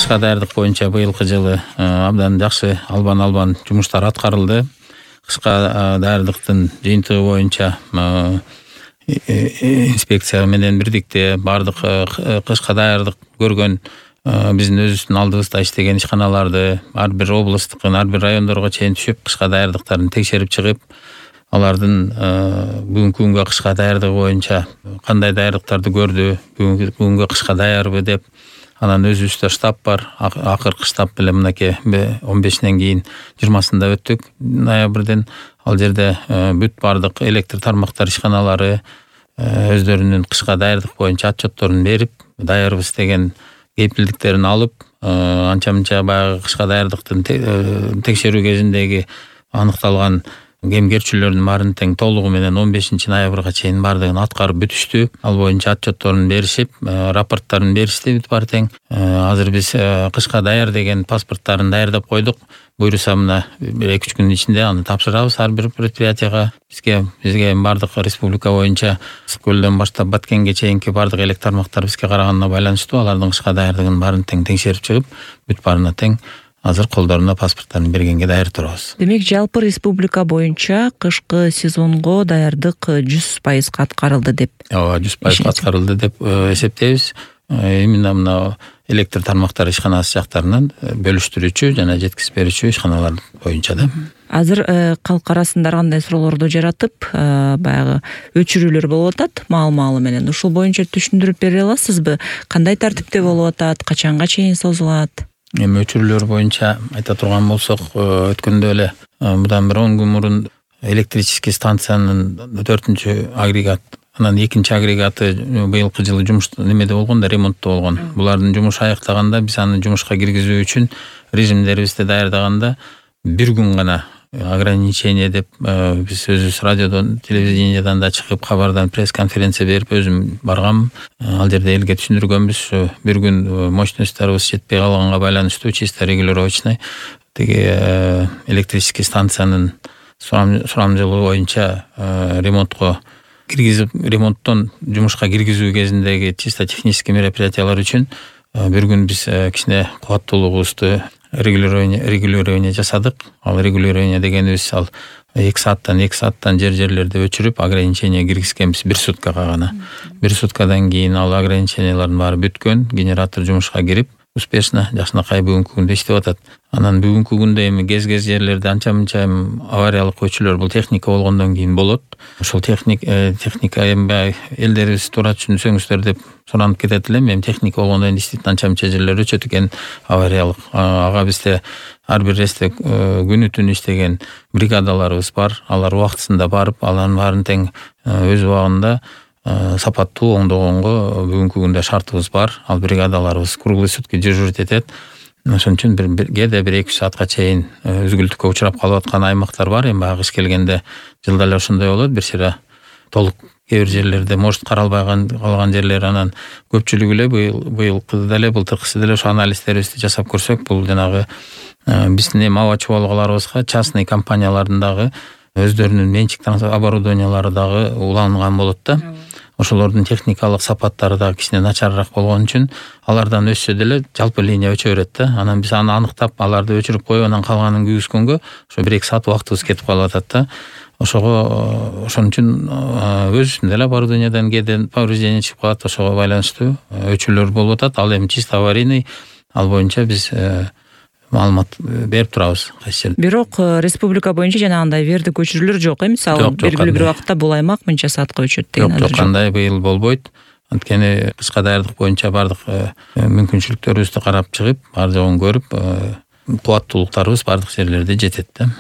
кышка даярдык боюнча быйылкы жылы абдан жакшы албан жумуштар аткарылды. Кышка даярдыктын жыйынтыгы боюнча инспекция менен бирдикте бардык кышка даярдык көргөн биздин өзүбүздүн алдыбызда иштеген ишканаларды ар бир облусттук, ар бир райондорго чейин түшүп, кышка даярдыктарын текшерип чыгып, алардын бүгүнкү күнгө кышка даярдыгы боюнча кандай даярдыктарды көрдү, бүгүнкү күнгө кышка даярбы деп, анан өзүбүздө штаб бар. Акыркы штаб менен мынакей 15-нен кийин 20-сында өттүк ноябрден. Ал жерде бүт бардык электр тармактар ишканалары өздөрүнүн кышка даярдык боюнча отчетторун берип, даярбыз деген кепилдиктерин алып, анча-мынча баягы кышка даярдыктын текшерүү кезиндеги аныкталган кемгерчиликтөрдүн баарын тең толугу менен 15-ноябрга чейин бардыгын аткарып бүтүштү. Ал боюнча отчетторун беришип, рапорттарын беришти бүт баары тең. Азыр биз кышка даяр деген паспорттарын даярдап койдук. Буюрса мына 2-3 күндүн ичинде аны тапшырабыз ар бир предприятияга. Бизге бардык республика боюнча Көлдөн баштап Баткенге чейинки бардык электр тармактар бизге караганына байланыштуу. Алардын кышка даярдыгын баарын тең текшерип чыгып, бүт баарына тең азыр колдоруна паспорттарын бергенге даяр турабыз. Демек, жалпы республика боюнча кышкы сезонго даярдык 100% аткарылды деп. Ооба, 100% аткарылды деп эсептейбиз. Именно мына электр тармактар ишканасы жактарынан бөлүштүрүүчү жана жеткирип берүүчү ишканалар боюнча да. Азыр калк арасында кандай суроолорду жаратып, баягы өчүрүүлөр болуп атат маал-маалы менен. Ушул боюнча түшүндүрүп бере аласызбы? Кандай тартипте болуп атат? Качанга чейин созулат? Эми өчүрүүлөр боюнча айта турган болсок, өткөндө эле мындан бир 10 күн мурун электрический станциянын 4-чү агрегат, анан 2-чи агрегаты быйылкы жылы немеде болгон да, ремонтто болгон. Булардын жумушу аяктаганда биз аны жумушка киргизүү үчүн режимдерибизди даярдаганда бир күн гана ограничение деп биз өзүбүз радиодон, телевидениядан да чыгып, кабардан пресс-конференция берип өзүм баргам. Ал жерде элге түшүндүргөнбүз, бир күн мощностьторубуз жетпей калганга байланыштуу чисто регулировочный тиги электрический станциянын сурамжылыгы боюнча ремонтко киргизип, ремонттон жумушка киргизүү кезиндеги чисто технический мероприятиялар үчүн бир күн биз кичине кубаттуулугубузду регулирование жасадык. Ал регулирование дегенибиз ал 2 сааттан жерлерде өчүрүп, ограничение киргизгенбиз 1 суткага гана. 1 суткадан кийин ал ограничениялардын баары бүткөн, генератор жумушка кирип, успешно жакшынакай бүгүнкү күндө иштеп атат. Анан бүгүнкү күндө эми кез жерлерде анча-мынча авариялык өчүрлөр бул техника болгондон кийин болот. Ошол техника эми элдерибиз туура түшүнсөңүздөр деп суранып кетет элем. Эми техника болгондон кийин действительно анча-мынча жерлер өчөт экен авариялык. Ага бизде ар бир эсте күнү түнү иштеген бригадаларыбыз бар. Алар убактысында барып, алардын баарын тең өз убагында сапаттуу оңдогонго бүгүнкү күндө шартыбыз бар. Ал бригадаларыбыз круглый сутки дежурить этет. Ошон үчүн кээде 1-2 саатка чейин үзгүлтүккө учурап калып аткан аймактар бар. Эми баягы кыш келгенде жылда эле ошондой болот. Бир сыйра толук кээ бир жерлерде может каралбай калган жерлер, анан көпчүлүгү эле быйылкы деле былтыркысы деле ошо анализдерибизди жасап көрсөк, бул жанагы биздин эми аба чубалгаларыбызга частный компаниялардын дагы өздөрүнүн менчик оборудованиялары дагы уланган болот да. Ошолордун техникалык сапаттары да кичине начарыраак болгон үчүн алардан өссө деле жалпы линия өчө берет да. Анан биз аны аныктап, аларды өчүрүп коюп, анан калганын күйгүзгөнгө ошо 1-2 саат убактыбыз кетип калып атат да. Ошон үчүн өзүбүздүн деле оборудованиядан кээде повреждение чыгып калат, ошого байланыштуу өчүрлөр болуп атат. Ал эми чисто аварийный, ал боюнча биз маалымат берип турабыз кайсы жерде. Бирок республика боюнча жанагындай вердик өчүрүүлөр жок, мисалы белгилүү бир убакытта бул аймак мынча саатка өчөт деген азыр жок. Кандай быйыл болбойт. Анткени кышка даярдык боюнча бардык мүмкүнчүлүктөрүбүздү карап чыгып, бар жогун көрүп, кубаттуулуктарыбыз бардык жерлерде жетет да.